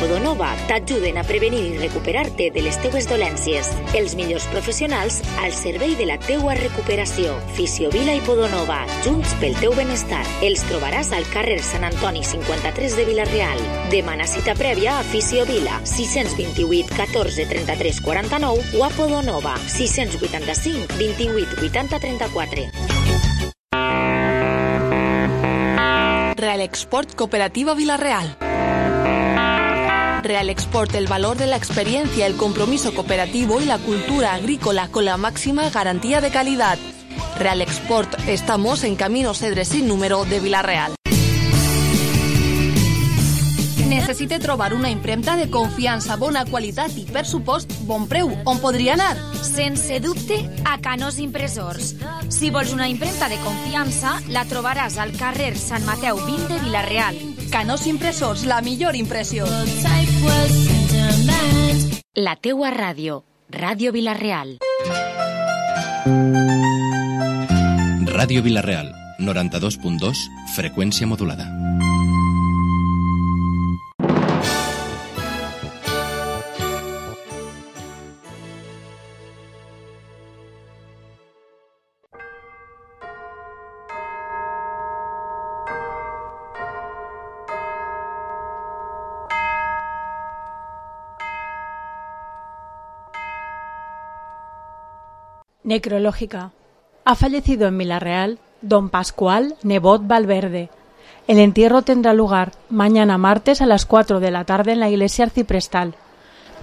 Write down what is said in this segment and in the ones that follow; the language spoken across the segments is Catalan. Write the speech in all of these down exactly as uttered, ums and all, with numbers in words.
Podonova t'ajuden a prevenir i recuperar-te de les teues dolències. Els millors professionals al servei de la teua recuperació. Fisiovila i Podonova, junts pel teu benestar. Els trobaràs al carrer Sant Antoni cinquanta-tres de Vila-real. Demana cita prèvia a Fisiovila, sis dos vuit, catorze, trenta-tres, quaranta-nou o a Podonova, sis vuitanta-cinc, vint-i-vuit, vuitanta, trenta-quatre. Real Export Cooperativa Vila-real. Real Export, el valor de la experiencia, el compromiso cooperativo y la cultura agrícola con la máxima garantía de calidad. Real Export, estamos en Camino Cedre sin número de Vila-real. Necessite trobar una impremta de confiança, bona qualitat i, per supost, bon preu. On podria anar? Sense dubte, a Canós Impressors. Si vols una impremta de confiança, la trobaràs al carrer Sant Mateu vint de Vila-real. Canós Impressors, la millor impressió. La teua ràdio, Ràdio Vila-real. Ràdio Vila-real, noranta-dos punt dos, freqüència modulada. Necrológica. Ha fallecido en Vila-real don Pascual Nebot Valverde. El entierro tendrá lugar mañana martes a las cuatro de la tarde en la iglesia arciprestal.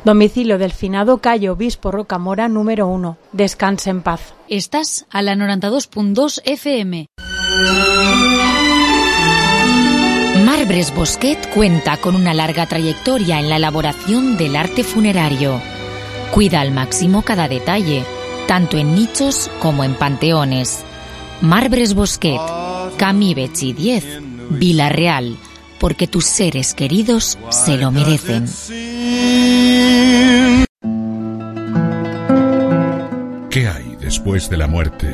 Domicilio del finado Cayo Obispo Rocamora número uno. Descanse en paz. Estás a la noranta-dos punt dos F M. Marbres Bosquet cuenta con una larga trayectoria en la elaboración del arte funerario. Cuida al máximo cada detalle, tanto en nichos como en panteones. Marbres Bosquet, Camí Betxí diez, Vila-real, porque tus seres queridos se lo merecen. ¿Qué hay después de la muerte?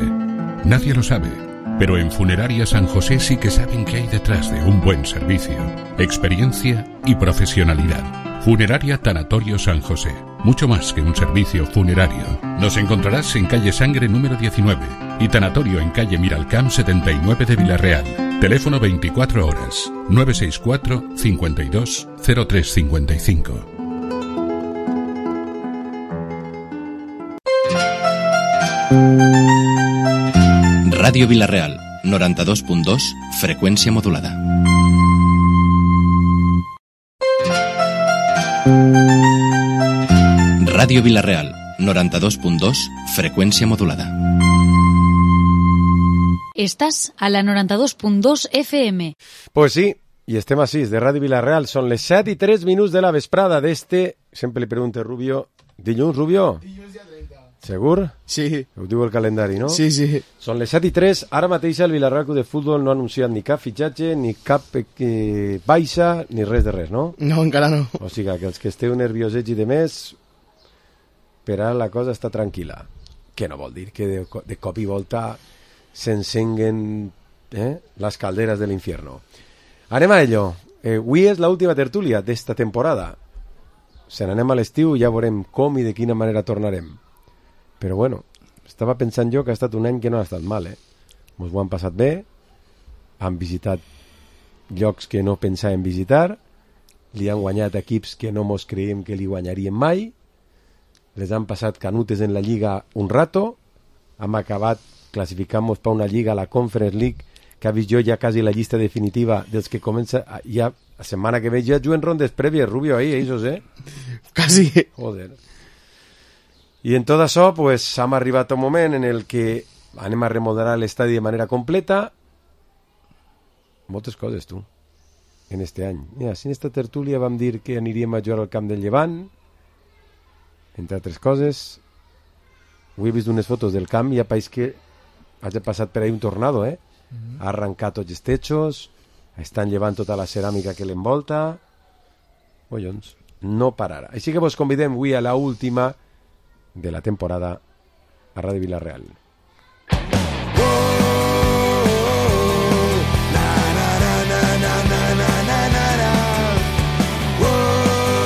Nadie lo sabe, pero en Funeraria San José sí que saben qué hay detrás de un buen servicio, experiencia y profesionalidad. Funeraria Tanatorio San José, mucho más que un servicio funerario. Nos encontrarás en calle Sangre número diecinueve y Tanatorio en calle Miralcamp setenta y nueve de Vila-real. Teléfono veinticuatro horas, nueve seis cuatro, cincuenta y dos, cero tres cincuenta y cinco. Ràdio Vila-real, noranta-dos punt dos, freqüència modulada. Ràdio Vila-real, noranta-dos punt dos, freqüència modulada. Estàs a la noranta-dos punt dos F M. Pues sí, i estem així, de Ràdio Vila-real. Són les set i tres minuts de la vesprada d'este... Sempre li pregunto, Rubio... Dilluns, Rubio? Dilluns dia trenta. Segur? Sí. Ho diu el calendari, no? Sí, sí. Són les set i tres. Ara mateix el Vila-real Club de Futbol no ha anunciat ni cap fitxatge, ni cap eh, baixa, ni res de res, no? No, encara no. O sigui, que els que esteu nerviosets i de més, per ara la cosa està tranquil·la. Què no vol dir? Que de, de cop i volta s'encenguen eh, les calderes de l'infierno. Anem a ello. Eh, avui és l'última tertúlia d'esta temporada. Se n'anem a l'estiu i ja veurem com i de quina manera tornarem. Però bueno, estava pensant jo que ha estat un any que no ha estat mal, eh? Ens ho han passat bé, han visitat llocs que no pensàvem visitar, li han guanyat equips que no mos creiem que li guanyarien mai, les han passat canutes en la Lliga un rato, hem acabat classificant-nos per una Lliga a la Conference League, que ha vist jo ja quasi la llista definitiva dels que comença, ja la setmana que ve ja juguen rondes prèvies, Rubio, ahí, esos, eh? Quasi. Joder. I en tot això, pues, hem arribat a un moment en el que anem a remodelar l'estadi de manera completa. Moltes coses, tu, en este any. Mira, si en esta tertúlia vam dir que aniríem a jugar al camp del Llevant, entre altres coses. Avui he vist unes fotos del camp i ja pareix que hagi passat per ahí un tornado, eh? Mm-hmm. Ha arrencat tots els techos, estan llevant tota la ceràmica que l'envolta. Collons, no pararà. Així que vos convidem avui a la última de la temporada a Ràdio Vila-real. Whoa,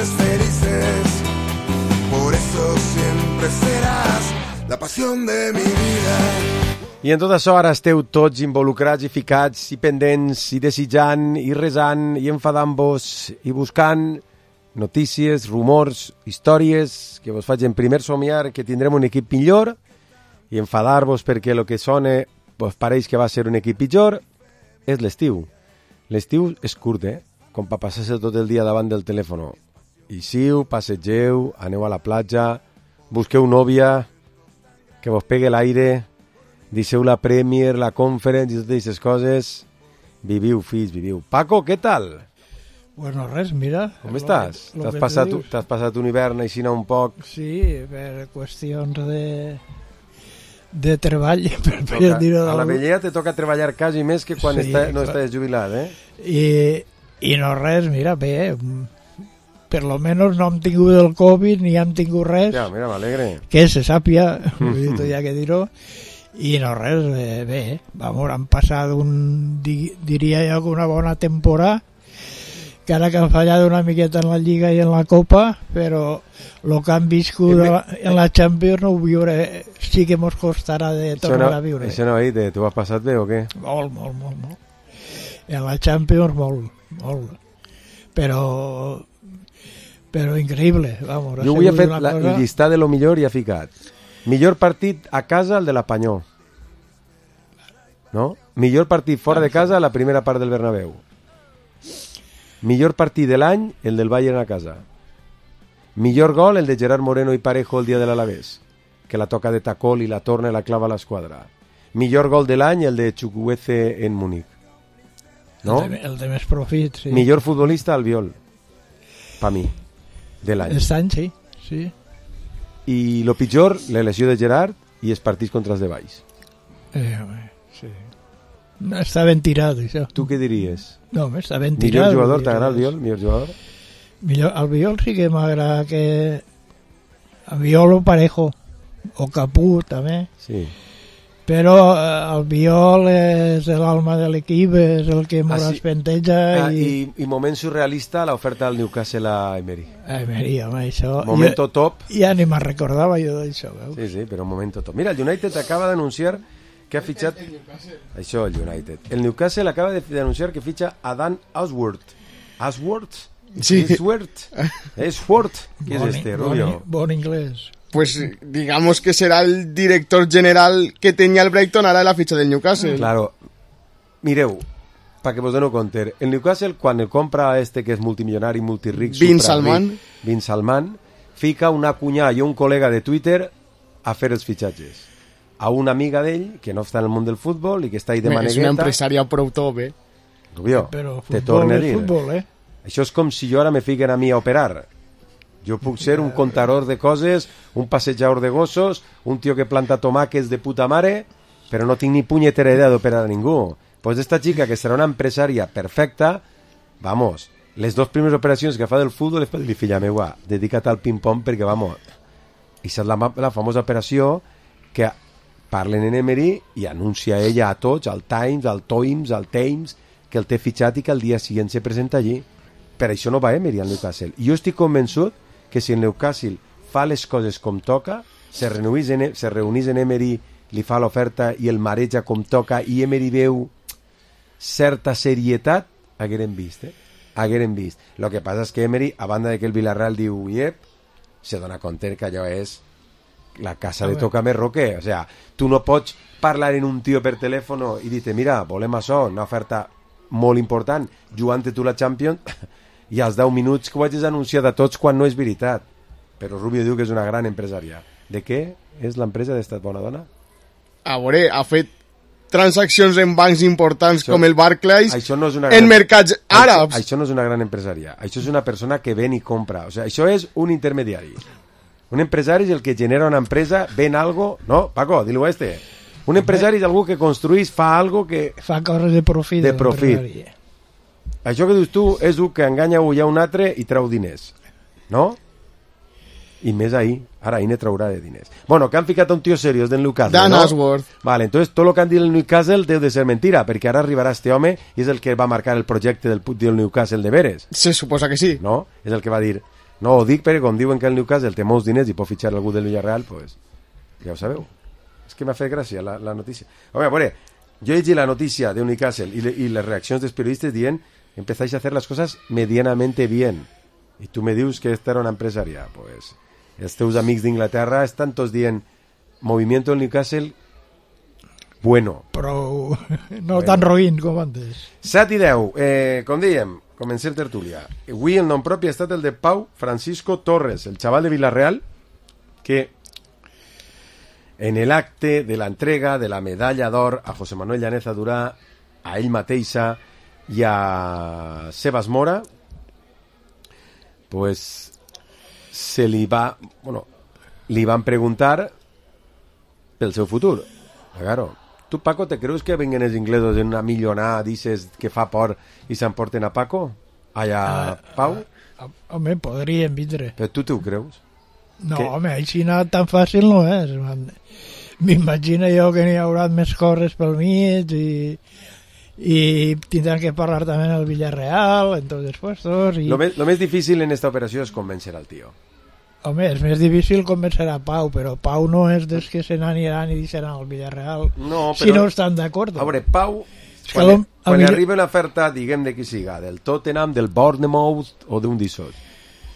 grandes felices. Por eso siempre serás la passió de mi vida. I en tot això ara esteu tots involucrats i ficats i pendents i desitjant i resant i enfadant-vos i buscant notícies, rumors, històries que vos facin primer somiar que tindrem un equip millor i enfadar-vos perquè el que sona vos pareix que va ser un equip pitjor. És l'estiu. L'estiu és curt, eh? Com per passar-se tot el dia davant del telèfon. Ixiu, passegeu, aneu a la platja, busqueu nòvia, que vos pegue l'aire, deixeu la Premier, la Conference i totes aquestes coses. Viviu, fills, viviu. Paco, què tal? Bueno, res, mira. Com estàs? T'has passat, t'has passat un hivern així un poc? Sí, per qüestions de... de treball, per, per toca, dir-ho a la vellea te toca treballar quasi més que quan sí, està, no clar. estàs jubilat, eh? I, I no res, mira, bé, per lo menos no hem tingut el Covid ni hem tingut res. Ja, mira, m'alegre. Que se sàpia, mm-hmm. ja que dir-ho. I no res, bé, bé, vamos, han passat un, di, diria jo, una bona temporada, que ara que han fallat una miqueta en la Lliga i en la Copa, però el que han viscut me... en la Champions no ho viure, sí que mos costarà de tornar no, a viure. Això no, Aite, tu has passat bé o què? Molt, molt, molt, molt. En la Champions molt, molt. Però, però increïble, vamos. Jo avui he fet la, cosa... el llistat de lo millor i ha ficat. Millor partit a casa, el de la Panyó. No? Millor partit fora de casa, la primera part del Bernabéu. Millor partit de l'any, el del Bayern a casa. Millor gol, el de Gerard Moreno i Parejo el dia de l'Alavés, que la toca de tacol i la torna i la clava a l'esquadra. Millor gol de l'any, el de Chukwueze en Múnich. No? El de, el de més profit, sí. Millor futbolista, Albiol. Pa mi. De l'any. Aquest any, sí. sí. I lo pitjor, la lesió de Gerard i els partits contra els de Valls. Eh, sí. No, està ben tirat, això. Tu què diries? No, està ben tirat. Millor jugador, t'agrada Albiol? Millor jugador? Millor, Albiol sí que m'agrada que... Albiol o Parejo, o Capú, també. Sí. Però Albiol és l'alma de l'equip, és el que mos ah, sí. espenteja. Ah, i... I, I moment surrealista, l'oferta del Newcastle a Emery. A Emery, home, això... Momento jo, top. Ja ni me'n recordava jo d'això, veus? Sí, sí, però momento top. Mira, el United acaba d'anunciar que ha fitxat... Això, el United. El Newcastle acaba d'anunciar que fitxa a Dan Ashworth. Ashworth? Sí. Ashworth. Ashworth. ¿Qué es este, Rubio? Bon inglés. Pues digamos que será el director general que tenía el Brighton ahora en la ficha del Newcastle. Claro. Mireu, perquè vos dono compte, el Newcastle, quan el compra este que és multimilionari, multiric, Bin Salman, Bin Salman, fica una cunyà i un col·lega de Twitter a fer els fitxatges. A una amiga d'ell, que no està en el món del futbol i que està ahí de manegueta. És una empresària prou top, eh? Rubio, però te torne a dir. Futbol, eh? Això és com si jo ara me fiquen a mi a operar. Jo puc ser un contador de coses, un passejador de gossos, un tio que planta tomàquets de puta mare, però no tinc ni punyetera idea d'operar a ningú. Pues esta chica, que serà una empresària perfecta, vamos, les dues primeres operacions que fa del futbol és per dir, filla meua, dedica't al ping-pong perquè, vamos, i és la, la famosa operació que parlen en Emery i anuncia ella a tots, al Times, al Times, al Times, que el té fitxat i que el dia següent se presenta allí. Per això no va Emery al Newcastle. I jo estic convençut que si el Newcastle fa les coses com toca, se reunís en, se reunís en Emery, li fa l'oferta i el mareja com toca i Emery veu certa serietat, haguérem vist, eh? Haguérem vist. Lo que passa és que Emery, a banda de que el Villarreal diu iep, se dona compte que allò és la casa de toca més roquer. O sea, tu no pots parlar en un tio per telèfon i dir-te, mira, volem això, una oferta molt important, jugant-te tu la Champions, i als deu minuts que ho hagis anunciat a tots quan no és veritat. Però Rubio diu que és una gran empresària. De què és l'empresa d'esta bona dona? A veure, ha fet transaccions en bancs importants això, com el Barclays no gran, en mercats àrabs. Això, això no és una gran empresària. Això és una persona que ven i compra. O sea, això és un intermediari. Un empresari és el que genera una empresa, ven algo... No, Paco, dilo a este. Un empresari és algú que construís, fa algo que... Fa coses de profit. De profit. Això que dius tu és un que enganya ja un altre i treu diners. No? I més ahir. Ara ahir ne traurà de diners. Bueno, que han ficat un tio seriós del Newcastle, Dan no? Ashworth. Vale, entonces tot el que han dit el Newcastle deu de ser mentira, perquè ara arribarà este home i és el que va marcar el projecte del, del Newcastle de veres. Se suposa que sí. No? És el que va dir, No ho dic perquè com diuen que el Newcastle té molts diners i pot fitxar algú del Villarreal, pues, ja ho sabeu. És que m'ha fet gràcia la, la notícia. Home, a veure, jo he llegit la notícia de Newcastle i, le, i les reaccions dels periodistes dient empezáis a hacer las cosas medianamente bien. I tu me dius que esta era una empresaria. Pues, els teus amics d'Inglaterra estan tots dient movimiento del Newcastle bueno. Però no bueno. Tan roïn com antes. set i deu, eh, com dèiem, comencem tertúlia. Avui el nom propi ha estat el de Pau Francisco Torres, el xaval de Villarreal, que en el acte de la entrega de la medalla d'or a José Manuel Llaneza Durà, a ell mateixa i a Sebas Mora, pues se li va, bueno, li van preguntar pel seu futur. Claro, tu, Paco, te creus que vengan els inglesos en una millonada, dices que fa por i s'emporten a Paco? Allà, uh, Pau? Uh, home, podrien vindre. Però tu t'ho creus? No, que... home, així no, tan fàcil no és. M'imagino jo que n'hi haurà més coses pel mig i, i tindran que parlar també en el Villarreal, en tots els puestos. I... Lo, més, lo més difícil en esta operació és convèncer al tio. Home, és més difícil convèncer a Pau, però Pau no és dels que se n'aniran i deixaran al Villarreal no, però... si no estan d'acord. A veure, Pau, quan, lo... quan mi... arriba una oferta, diguem de qui siga, del Tottenham, del Bournemouth o d'un d'Issot,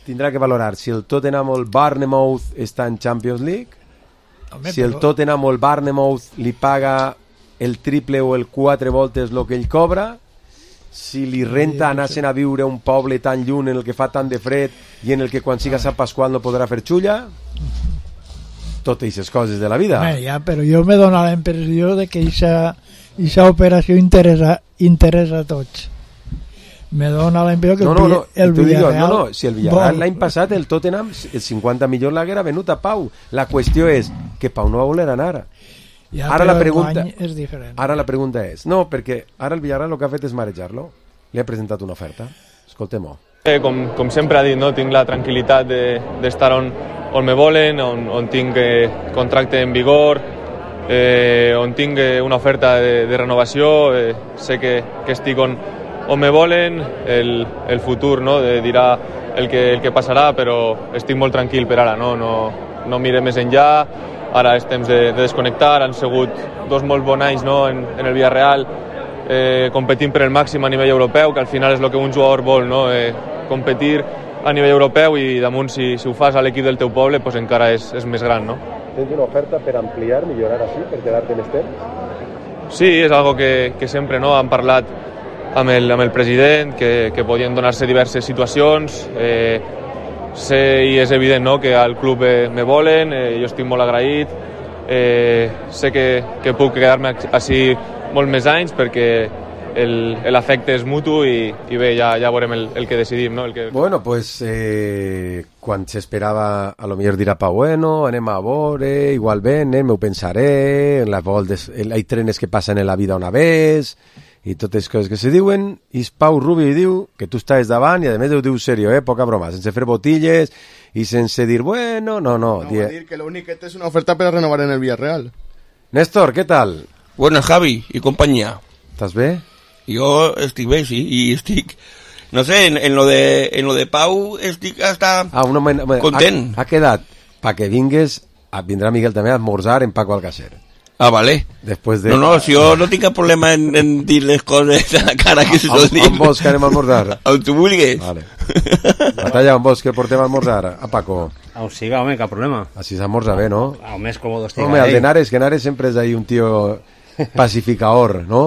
tindrà que valorar si el Tottenham o el Bournemouth està en Champions League, home, si el però... Tottenham o el Bournemouth li paga el triple o el quatre voltes el que ell cobra, si li renta anar-se'n a viure a un poble tan lluny en el que fa tant de fred i en el que quan siga Sant Pasqual no podrà fer xulla, totes aquestes coses de la vida. Bé, ja, però jo me dona la impressió de que aquesta operació interessa, interessa a tots. Me dona la impressió que no, no, no, el, el Villarreal... No, no, si el Villarreal l'any passat, el Tottenham, el cinquanta milions l'haguera venut a Pau. La qüestió és que Pau no va voler anar. Ja, ara, la pregunta, és diferent. ara la pregunta és... No, perquè ara el Villarreal el que ha fet és marejar-lo. Li ha presentat una oferta. Escoltem-ho. Eh, com, com sempre ha dit, no? Tinc la tranquil·litat d'estar de, on, on me volen, on, on tinc eh, contracte en vigor, eh, on tinc eh, una oferta de, de renovació, eh, sé que, que estic on, on me volen, el, el futur no? de, dirà el que, el que passarà, però estic molt tranquil per ara, no, no, no mire més enllà. Ara és temps de, de desconnectar, han sigut dos molt bons anys no? en, en el Villarreal, eh, competint per el màxim a nivell europeu, que al final és el que un jugador vol, no? eh, competir a nivell europeu i damunt si, si ho fas a l'equip del teu poble pues encara és, és més gran. No? Tens una oferta per ampliar, millorar així, per quedar-te més temps? Sí, és algo que, que sempre no? han parlat amb el, amb el president, que, que podien donar-se diverses situacions, eh, sé i és evident no, que al club eh, me volen, eh, jo estic molt agraït, eh, sé que, que puc quedar-me així molt més anys perquè l'afecte és mutu i, i bé, ja, ja veurem el, el que decidim. No? El que... Bueno, pues eh, quan s'esperava a lo millor dirà Pau, bueno, anem a veure, igual venen, m'ho pensaré, en les voltes, hay trenes que passen en la vida una vez... i totes les coses que se diuen, i Pau Rubi diu que tu estàs davant i a més ho diu serio, eh? Poca broma, sense fer botilles i sense dir, bueno, no, no. No, die... dir que l'únic que té és una oferta per a renovar en el Villarreal. Néstor, ¿qué tal? Buenas, Javi y compañía. ¿Estás bé? Yo estic bé, sí, y estic... No sé, en, en, lo, de, en lo de Pau estic hasta ah, un moment, content. Ha, ha quedat, pa que vingues, vindrà Miguel també a esmorzar en Paco Alcácer. Ah, vale. Después de... No, no, si yo no tengo problema en, en dir-les coses a la cara que se sol dir. On vols que anem a almorzar? On tu vulguis. Vale. Batalla, on vols que portem a almorzar? A Paco. On siga, home, cap problema. Així s'almorza bé, no? A més còmodo estiga. Home, el de Nares, que Nares sempre és ahí un tío pacificador, no?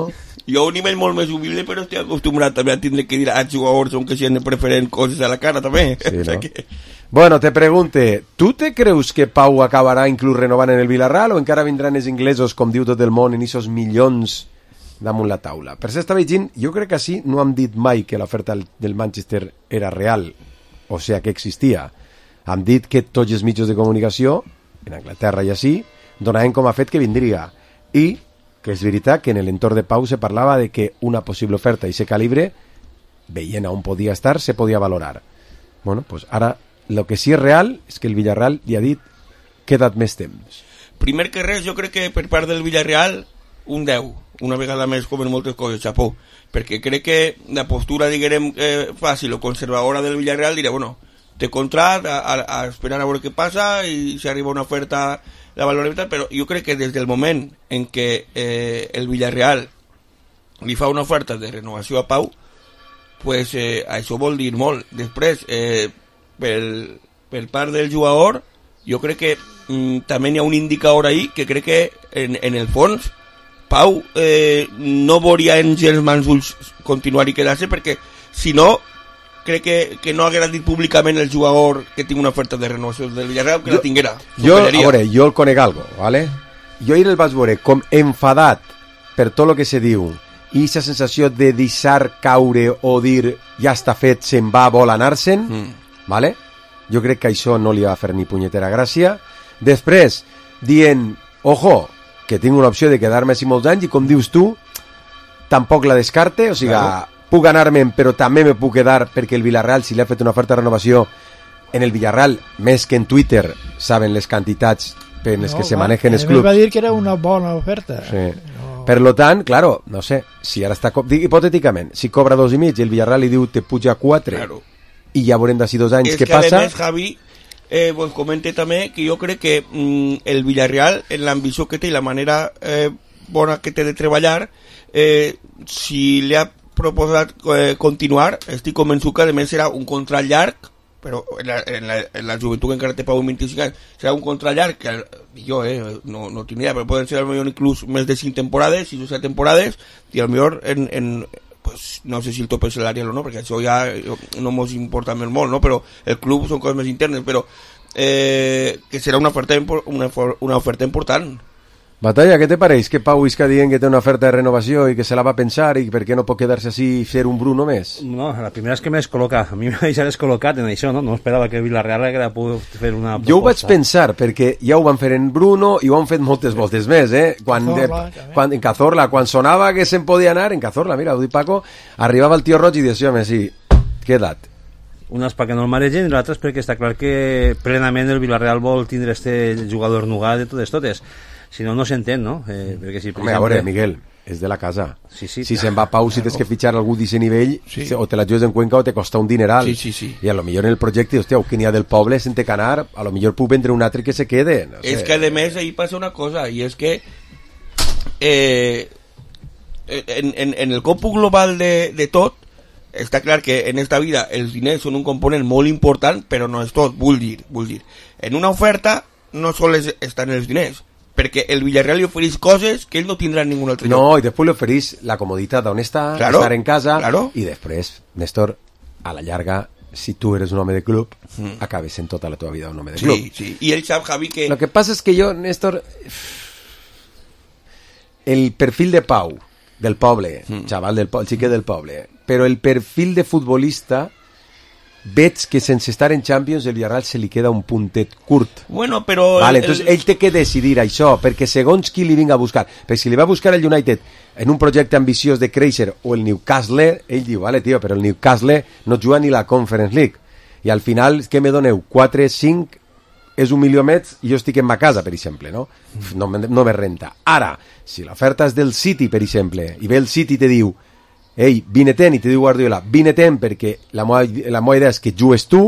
Jo a un nivell molt més humilde, però estic acostumbrat també a tindre que dir a jugadors on que si han de preferent coses a la cara també. Sí, o sea no? que... Bueno, te pregunte, tu te creus que Pau acabarà inclús renovant en el Villarreal o encara vindran els inglesos, com diu tot el món, en aquests milions damunt la taula? Per si està veient, jo crec que així no hem dit mai que l'oferta del Manchester era real, o sigui que existia. Hem dit que tots els mitjans de comunicació, en Anglaterra i així, donaven com a fet que vindria. I que és veritat que en l'entorn de Pau se parlava de que una possible oferta i ese calibre, veient on podia estar, se podia valorar. Bueno, pues ara, lo que sí és real és que el Villarreal li ha dit queda't més temps. Primer que res, jo crec que per part del Villarreal, un deu. Una vegada més, com en moltes coses, xapó. Perquè crec que la postura, diguem, eh, fàcil o conservadora del Villarreal dirà, bueno, té contrat, a, a, a esperar a veure què passa i si arriba una oferta la valorem, però jo crec que des del moment en què eh, el Villarreal li fa una oferta de renovació a Pau, pues eh, això vol dir molt. Després, eh, pel, per part del jugador, jo crec que mm, també hi ha un indicador ahí que crec que en, en el fons Pau eh, no veuria en els mans ulls continuar i quedar-se, perquè si no crec que, que no haguera dit públicament el jugador que tinc una oferta de renovació del Villarreal, que jo, la tinguera. Jo, a veure, jo el conec algo, ¿vale? Jo ahir el vaig veure com enfadat per tot el que se diu i aquesta sensació de deixar caure o dir ja està fet, se'n va, vol anar-se'n, mm. ¿vale? Jo crec que això no li va fer ni punyetera gràcia. Després, dient, ojo, que tinc una opció de quedar-me així molts anys i com dius tu, tampoc la descarte, o sigui, claro. Puc anar-me'n, però també me puc quedar perquè el Villarreal, si li ha fet una oferta de renovació, en el Villarreal, més que en Twitter, saben les quantitats per les no, que se va, manejen els clubs. Va dir que era una bona oferta. Sí. No. Per lo tant, claro, no sé, si ara està... Hipotèticament, si cobra dos i mig i el Villarreal li diu te puja quatre, claro. I ja veurem d'ací dos anys és què que passa... És que, a més, Javi, eh, vos comente també que jo crec que mm, el Villarreal, en l'ambició que té i la manera eh, bona que té de treballar, eh, si li ha proposat eh, continuar, estic convençut que a més serà un contrat llarg, però en la, en la, en la joventut encara té Pau vint-i-cinc anys, serà un contrat llarg que jo eh, no, no tinc idea, però poden ser potser inclús més de cinc temporades, sis o set temporades, i potser en, en pues, no sé si el tope salarial o no, perquè això ja no ens importa més molt, no? Però el club són coses més internes, però eh, que serà una oferta, una, una oferta important. Batalla, què te pareix que Pau isca dient que té una oferta de renovació i que se la va pensar i per què no pot quedar-se així i fer un Bruno més? No, la primera és que m'he descol·locat. A mi m'ha deixat descol·locat en això, no? No esperava que Villarreal haguera pogut fer una proposta. Jo ho vaig pensar, perquè ja ho van fer en Bruno i ho han fet moltes voltes més, eh? Quan, Cazorla, de, quan, en Cazorla, quan sonava que se'n podia anar, en Cazorla, mira, ho dic Paco, arribava el tio Roig i dius, home, sí, queda't. Una és perquè no el maregen i l'altra és perquè està clar que plenament el Villarreal vol tindre este jugador nugat de totes totes. Si no, no s'entén, no? Eh, perquè si, Home, exemple... a veure, Miguel, és de la casa. Sí, sí, si se'n va a Pau, si tens que fitxar algú d'aquest nivell, sí. O te la jugues en Cuenca o te costa un dineral. Sí, sí, sí. I a lo millor en el projecte, hòstia, que n'hi ha del poble, se'n té que anar, a lo millor puc vendre un altre que se quede. No sé. És que, a més, ahí passa una cosa, i és que eh, en, en, en el còmput global de, de tot, està clar que en esta vida els diners són un component molt important, però no és tot, vull dir, vull dir. En una oferta no sols estan els diners, perquè el Villarreal li ofereix coses que ell no tindrà en ningun altre lloc. No, i després li ofereix la comoditat d'on està, claro, estar en casa, claro. I després, Néstor, a la llarga, si tu eres un home de club, mm. acabes en tota la teva vida un home de club. Sí, sí, i ell sap, Javi, que... Lo que passa és que jo, Néstor, el perfil de Pau, del poble, mm. xaval del poble, el xiquet del poble, però el perfil de futbolista... veig que sense estar en Champions el Villarreal se li queda un puntet curt. Bueno, però... Vale, entonces el... ell té que decidir això, perquè segons qui li vinga a buscar, perquè si li va a buscar el United en un projecte ambiciós de créixer o el Newcastle, ell diu, vale, tio, però el Newcastle no juga ni la Conference League. I al final, què me doneu? quatre, cinc, és un milió més i jo estic en ma casa, per exemple, no? No, no me renta. Ara, si l'oferta és del City, per exemple, i ve el City i te diu ei, vine-te'n, i te diu Guardiola, vine-te'n perquè la meva, la meva idea és que jugues tu,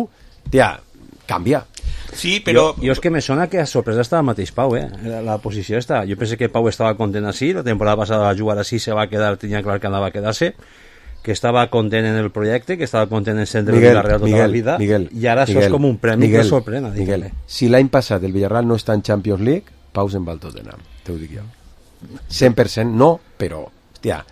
tia, canvia. Sí, però... Jo, jo és que me sona que a sorpresa estava el mateix Pau, eh? La, la posició està. Jo pensé que Pau estava content així, la temporada passada va jugar així, se va quedar, tenia clar que anava a quedar-se, que estava content en el projecte, que estava content en centre del Villarreal tota Miguel, la vida, Miguel, i ara Miguel, això és com un premi Miguel, que sorprena. Miguel, si l'any passat el Villarreal no està en Champions League, Pau se'n va al Tottenham, te ho dic jo. cent per cent no, però, hòstia...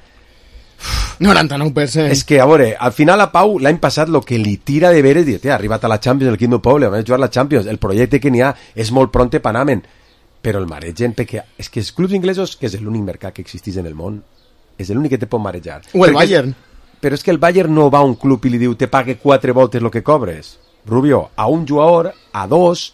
noranta-nou per cent. És que, a veure, al final a Pau l'any passat el que li tira de veres és, ha arribat a la Champions, el Quinto Poble, vam jugar a la Champions, el projecte que n'hi ha és molt pronte per anar-me'n, però el maregen, perquè és que els clubs inglesos, que és l'únic mercat que existeix en el món, és l'únic que te pot marejar. O el Bayern. És, però és que el Bayern no va a un club i li diu te pague quatre voltes el que cobres. Rubio, a un jugador, a dos,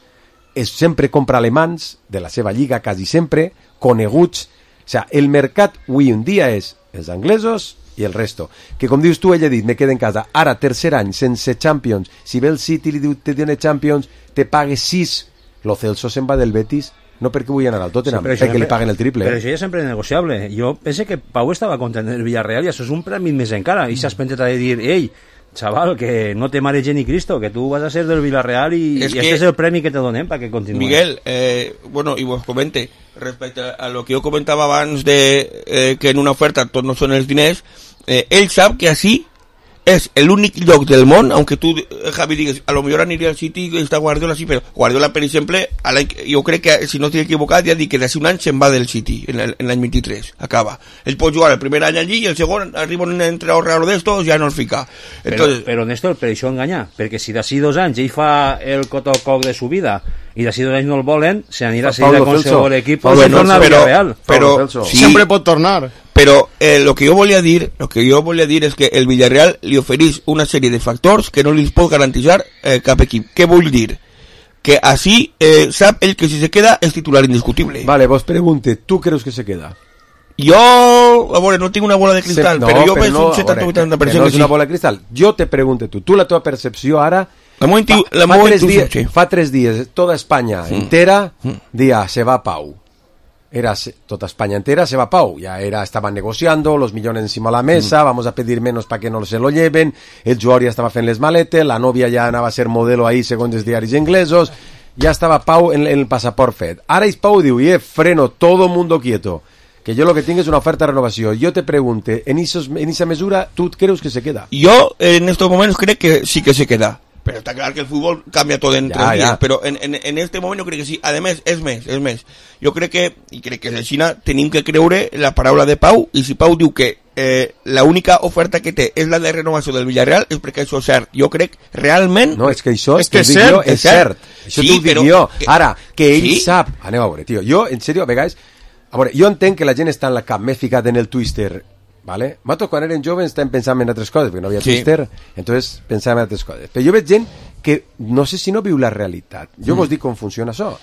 es sempre compra alemans de la seva lliga, quasi sempre, coneguts. O sea, el mercat avui en dia és els anglesos i el resto. Que com dius tu, ell ha dit, me quedo en casa. Ara, tercer any, sense Champions. Si ve el City i li diu, te tiene Champions, te pague sis. Lo Celso se'n va del Betis, no perquè vull anar al Tottenham, sí, perquè li paguen el triple. Però això ja sempre és negociable. Jo penso que Pau estava content del Villarreal i això és un premi més encara. I s'has penjat a dir, ei, chaval, que no te marege ni Cristo, que tú vas a ser del Villarreal y, es y que, este es el premio que te donen para que continúes. Miguel, eh, bueno, y vos comente, respecto a lo que yo comentaba abans de eh, que en una oferta tot no són els diners, eh, ell sap que així és l'únic lloc del món, aunque tu, Javi, digues, a lo millor aniria al City i està Guardiola, sí, però Guardiola, per exemple, jo crec que, si no estic equivocat, ja dic que d'ací un any se'n va del City, en l'any vint-i-tres, acaba. Ell pot jugar el primer any allí i el segon arriba un entrenador raro d'estos, ja no el fica. Entonces, però, però Néstor, per això enganyar, perquè si d'ací dos anys ell fa el cotococ de su vida i d'ací dos anys no el volen, se anirà a seguir con qualsevol equip i torna a Villarreal. Però, sí, siempre pot tornar. Pero eh, lo que yo volia dir, lo que yo volia dir és que el Villarreal li ofereix una sèrie de factors que no li pot garantitzar eh, cap equip. Què vull dir? Que així eh, sap ell que si se queda és titular indiscutible. Vale, vos pregunte, ¿tú creus que se queda? Jo, a veure, no tinc una bola de cristal, se, no, però jo veig no, un setanta vuitanta per cent no que és una bola de cristal. Jo te pregunte tu, tu la teva percepció ara... La fa, la fa, tres dies, sí. fa tres dies, toda Espanya mm. entera mm. dia, se va Pau. Era toda España entera se va Pau, ya era, estaban negociando los millones encima de la mesa, mm. vamos a pedir menos para que no se lo lleven, el jugador ya estaba fent les maletes, la novia ya anava a ser modelo ahí según els diaris inglesos, ya estaba Pau en, en el pasaport fet. Ara és Pau diu, eh, freno, todo mundo quieto, que yo lo que tengo es una oferta de renovación. Yo te pregunte, en, esos, en esa mesura, ¿tú crees que se queda? Yo en estos momentos creo que sí que se queda. Pero está claro que el fútbol cambia todo en ya, tres días, ya. Pero en, en, en este momento crec que sí. Además, és més, és més. Jo crec que, i crec que la Xina, tenim que creure la paraula de Pau, i si Pau diu que eh, la única oferta que té és la de renovació del Villarreal, és perquè això és cert. Jo crec realment... No, és que això és, que és cert, és cert. Això sí, t'ho dic però, jo. Que, Ara, que ell sí? sap... Aneu a veure, tio. Jo, en sèrio, a vegades... A veure, jo entenc que la gent està en la cap més ficat en el Twister... ¿Vale? Mato, quan eren joves estem pensant en altres coses, perquè no havia sí. Twitter, entonces pensàvem en altres coses. Però jo veig gent que no sé si no viu la realitat. Jo mm. vos dic com funciona això.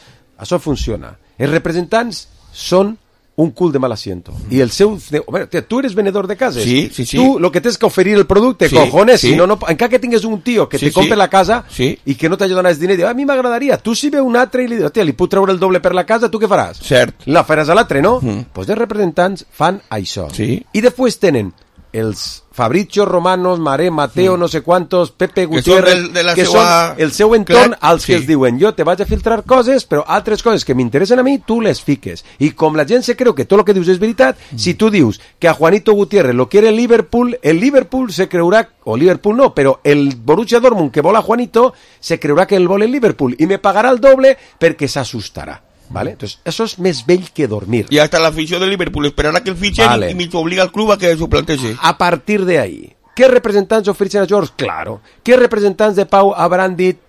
Això funciona. Els representants són un cul de mal asiento. Mm. I el seu... Bueno, tia, tu eres venedor de cases. Sí, sí, sí. Tu lo que tens que oferir el producte, sí, cojones, sí. Si no, no, encara que tingues un tio que sí, te compre sí. la casa sí. i que no t'ha donat el diner, diu, a mi m'agradaria. Tu si ve un altre i li dius, tia, li puc treure el doble per la casa, tu què faràs? Cert. La faràs a l'altre, no? Doncs mm. pues els representants fan això. Sí. I després tenen els Fabricio Romanos, Maré, Mateo, mm. no sé quantos, Pepe Gutiérrez, que, que seva... són el seu entorn Clar, als sí. que els diuen, jo te vaig a filtrar coses, però altres coses que m'interessen a mi, tu les fiques. I com la gent se creu que tot el que dius és veritat, mm. si tu dius que a Juanito Gutiérrez lo quiere el Liverpool, el Liverpool se creurà, o Liverpool no, però el Borussia Dortmund que vol a Juanito, se creurà que el vol el Liverpool, i me pagarà el doble perquè s'assustarà. ¿Vale? Entonces, eso es més vell que dormir. Y hasta la afición del Liverpool esperará que el fichen vale. y me obliga al club a que suplantese. A partir de ahí, ¿qué representants ofereixen a George? Claro. ¿Qué representants de Pau hauran dit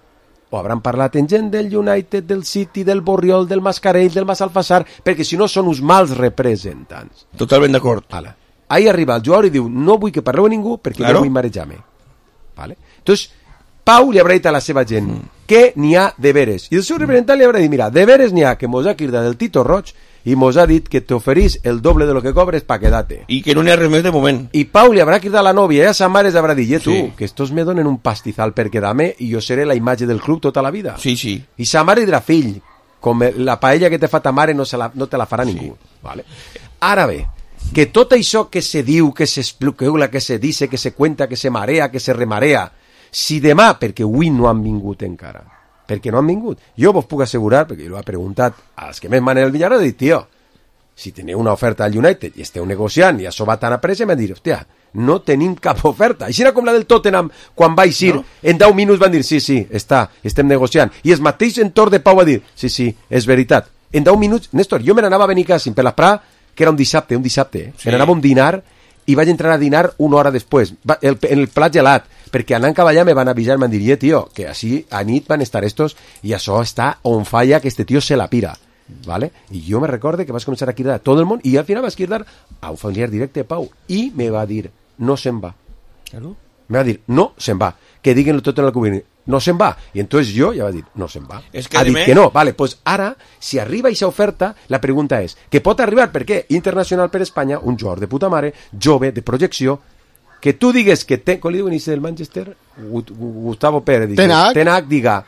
o hauran parlat en gent del United, del City, del Borriol, del Mascarell, del Massalfassar, perquè si no són uns mals representants. Totalment d'acord. Vale. Ahí arriba el jugador i diu, no vull que parleu a ningú perquè claro. no vull marejar-me. Vale? Entonces, Pau li haurà dit a la seva gent mm. que n'hi ha deberes. I el seu representant li haurà dit, mira, deberes n'hi ha que mos ha cridat del Tito Roig i mos ha dit que t'oferís el doble de lo que cobres pa quedar-te. I que no n'hi ha res més de moment. I Pau li haurà cridat a la nòvia i a sa mare li haurà dit, eh, tu, sí. que estos me donen un pastizal per quedar-me i jo seré la imatge del club tota la vida. Sí, sí. I sa mare dirà, fill, com la paella que te fa ta mare no, se la, no te la farà sí. ningú. Vale? Ara bé, que tot això que se diu, que se especula, que se dice, que se cuenta, que se marea, que se remarea, si demà, perquè avui no han vingut encara, perquè no han vingut, jo vos puc assegurar, perquè jo ho he preguntat als que més manen el Villarreal, he dit, tio, si teniu una oferta al United i esteu negociant i això va tan a pressa, m'han dit, hòstia, no tenim cap oferta. Així era com la del Tottenham, quan va eixir, no? En deu minuts van dir, sí, sí, està, estem negociant. I el mateix entorn de Pau va dir, sí, sí, és veritat. En deu minuts, Néstor, jo me n'anava a Benicàssim per l'esprà, que era un dissabte, un dissabte, eh? Sí. Me n'anava a un dinar i vaig entrar a dinar una hora després, el, en el plat gelat, perquè anant cap allà me van avisar, me van dir, tio, que així a nit van estar estos i això està on falla, que este tio se la pira. ¿Vale? I jo me recorde que vas començar a cridar a tot el món i al final vas cridar a un familiar directe de Pau i me va dir, no se'n va. ¿Claro? Me va dir, no se'n va, que diguin tot en el cubín, no se'n va. I entonces jo ja va dir, no se'n va. Es que ha dit me... que no. Vale, pues ara, si arriba aquesta oferta, la pregunta és, que pot arribar perquè internacional per Espanya, un jugador de puta mare, jove, de projecció, que tu digues que té, com li diuen del Manchester, Gustavo Pérez, Tenac, Tenac diga,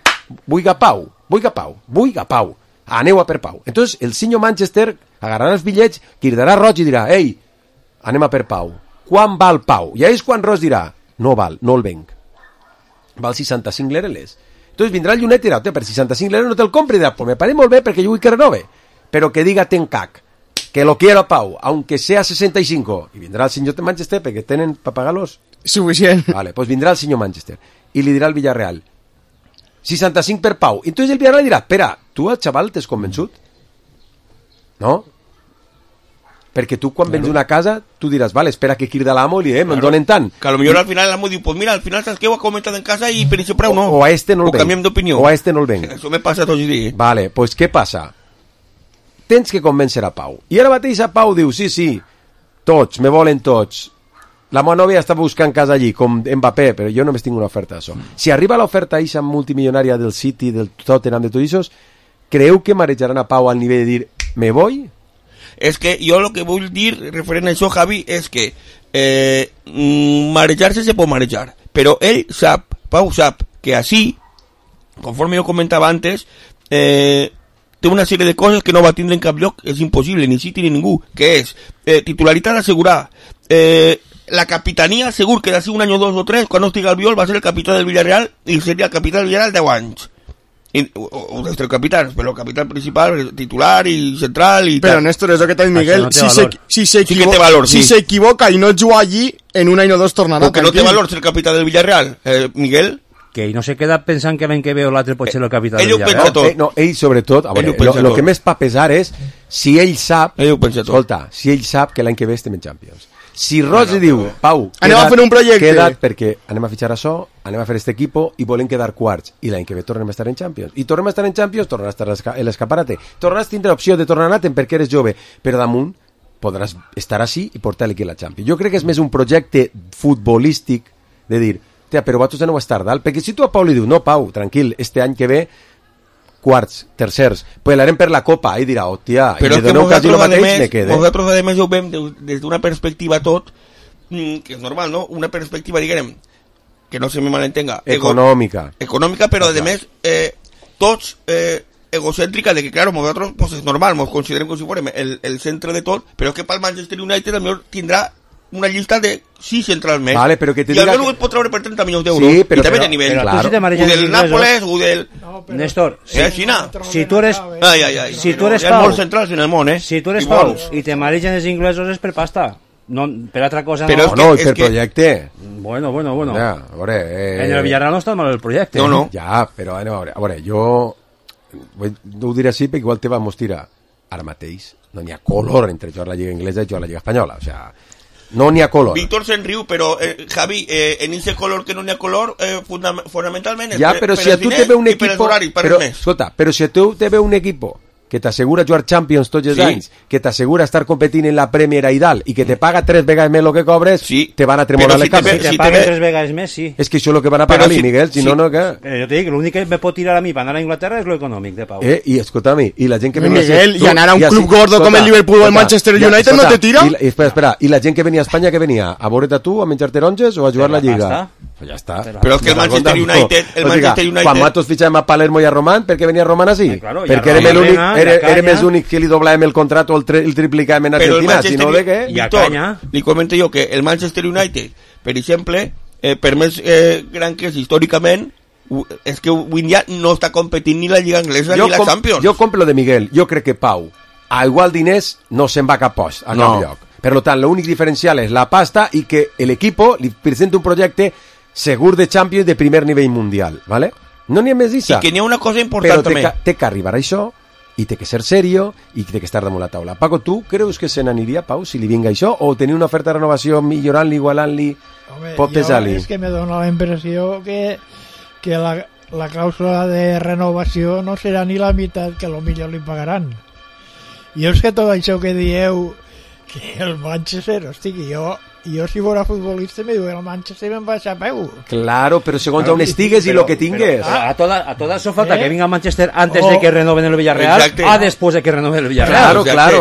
vull a Pau, vull a Pau, vull a Pau, aneu a per Pau. Entonces el senyor Manchester agarrarà els bitllets, cridarà Roig i dirà, ei, anem a per Pau. Quan val Pau? I és quan Roig dirà, no val, no el venc. val seixanta-cinc l'Ereles. Entonces vindrà el United i dirà, per seixanta-cinc l'Ereles no te'l compri, dirà, pues me parece molt bé perquè jo vull que renove, però que diga Tencac, que lo quiero a Pau, aunque sea sesenta y cinco, i vindrà el senyor de Manchester perquè tenen per pagar-los suficient. Vale, pues vindrà el senyor Manchester i li dirà al Villarreal seixanta-cinc per Pau, i entonces el Villarreal dirà, espera, tu al xaval t'has convençut? No? Perquè tu quan vens una casa tu diràs, vale, espera que crida l'amo i li eh, me'n donen tant. Que a lo millor al final l'amo diu, pues mira, al final saps què ho ha comentat en casa i per això preu no. O a este no el venc. O canviem d'opinió. O a este no el venc. Això me passa tots els dies. Vale, pues què passa? Tens que convèncer a Pau. I ara mateix a Pau diu, sí, sí, tots, me volen tots. La meva nòvia està buscant casa allí, com Mbappé, però jo només tinc una oferta d'això. Si arriba l'oferta eixa multimilionària del City, del Tottenham, de tot això, creu que marejaran a Pau al nivell de dir, me voy? És que jo el que vull dir referent a això, Javi, és que eh, marejar-se se pot marejar, però ell sap, Pau sap, que així, conforme jo comentava antes, eh, té una sèrie de coses que no va tindre en cap lloc, és impossible, ni City ni ningú, que és eh, titularitat assegurar, eh, la capitania segur que d'ací un any o dos o tres, quan no estigui al viol, va ser el capità del Villarreal i seria el capità del Villarreal deu anys. I, o, o dels tres capitans, però el capità principal, titular i central i però tal. Néstor, és el que t'ha dit Miguel, no si, se, si, se sí que té valor, sí. si s'equivoca i no juga allí, en un any o dos tornarà. Perquè no té valor ser el capità del Villarreal, eh, Miguel. Que ell no se queda pensant que l'any que ve o l'altre pot ser el capità ell del Villarreal. no, eh, no, ell sobretot, a veure, lo, lo que més fa pesar és si ell sap, ell escolta, si ell sap que l'any que ve estem en Champions. Si Roig li diu, Pau, anem a fer un projecte, queda't perquè anem a fitxar això, anem a fer este equipo i volem quedar quarts, i l'any que ve tornem a estar en Champions, i tornem a estar en Champions, tornem a estar en l'escaparate, tornaràs a tindre opció de tornar a anar perquè eres jove, però damunt podràs estar així i portar l'equip a la Champions. Jo crec que és més un projecte futbolístic de dir, tia, però vosaltres no ho estar dalt, perquè si tu a Pau li dius, no Pau, tranquil, este any que ve quarts, tercers, pelearem per la Copa, i dirà, hòstia, i però me doneu quasi el mateix, més, me quede. Nosaltres a més ho veiem des d'una perspectiva tot, que és normal, no? Una perspectiva, diguem, que no se me malentenga. Econòmica. Ego, econòmica, però a més, eh, tots eh, egocèntrica, de que, claro, nosaltres, pues és normal, ens considerem com si fórem el, el centre de tot, però és que pel Manchester United potser tindrà una llista de sis centrals més. Vale, però que te I diga almenys que... ho pot treure per trenta milions d'euros. Sí, però, I també però, de nivell. Però, claro. O del Nàpoles, o del... No, Néstor, si, eh, Xina. si tu eres... Ai, ai, ai. Si tu eres Hi ha Pau... molts centrals en el món, eh? Si tu eres I Pau bons. i te maregen els inglesos és per pasta. No, per altra cosa però no. No, no, per que... projecte. Bueno, bueno, bueno. Ja, a veure... Eh... En el Villarreal no està mal el projecte. No, no. Ja, però anem a veure. A veure, jo... No ho diré així perquè igual te vamos tirar ara mateix. No n'hi ha color entre jugar a la Lliga Inglesa i jugar a la Lliga Espanyola. O sea, no n'hi ha color. Víctor se'n riu, però eh, Javi, eh, en ese color que no n'hi ha color, eh, fundam fonamentalment és ja, per, però per si a els tu diners te ve un i per els equipo, horaris, per però, res més. escolta, però si a tu te ve un equipo que t'assegura jugar Champions tots els Sí. anys, que t'assegura estar competint en la Premier i dalt, i que te paga tres vegades més el que cobres, sí. te van a tremolar Però les si te cames. ve- si te paguen tres vegades més, sí. És que això és el que van a pagar a mi, Miguel, si no, no, què? Però jo te dic, l'únic que me pot tirar a mi per anar a Inglaterra és lo econòmic de Pau. Eh, i escolta'm, i la gent que venia... Miguel, tu- i anar a un i club així- gordo com el Liverpool o el Manchester ja, United no te tira? I, i, espera, espera, i la gent que venia a Espanya, que venia? A veure't a tu, a menjar taronges o a jugar Per la la Lliga? pasta. Pues ja està. Però és que el Manchester United... El O sigui, Manchester United... quan nosaltres fitxàvem a Palermo i a Román, per què venia Román així? Eh, claro, i Perquè a érem Roma, l'únic, i a era, Canya. érem els únics que li doblàvem el contrato o el, tri, el triplicàvem en Però el Argentina, si Manchester no de què? I a Víctor, Canya. li comento jo que el Manchester United, per exemple, eh, per més eh, gran que és històricament, u- és que avui en dia no està competint ni la Lliga Anglesa Jo ni la com- Champions. Jo compro lo de Miguel. Jo crec que Pau, a igual diners, no se'n va a cap post, a No. cap lloc. Per tant, l'únic diferencial és la pasta i que l'equipo li presenta un projecte segur de Champions de primer nivell mundial, ¿vale? No n'hi ha més d'issa. I que n'hi ha una cosa Però important té també. que, té que arribar a això i té que ser serio i té que estar damunt la taula. Paco, tu creus que se n'aniria, Pau, si li vinga això? O tenir una oferta de renovació millorant-li, igualant-li, Home, pot jo pesar-li? és que me dona la impressió que, que la, la clàusula de renovació no serà ni la meitat que lo millor li pagaran. Jo és que tot això que dieu que el Manchester, hosti, que jo, jo si fos futbolista me diu el Manchester me'n baixa a peu. Claro, però segons on estigues i lo que tingues. Pero a toda, a toda eso falta ¿Eh? que venga Manchester antes Oh. de que renoven el Villarreal, Exacte. a después de que renoven el Villarreal. Claro, Exacte. claro,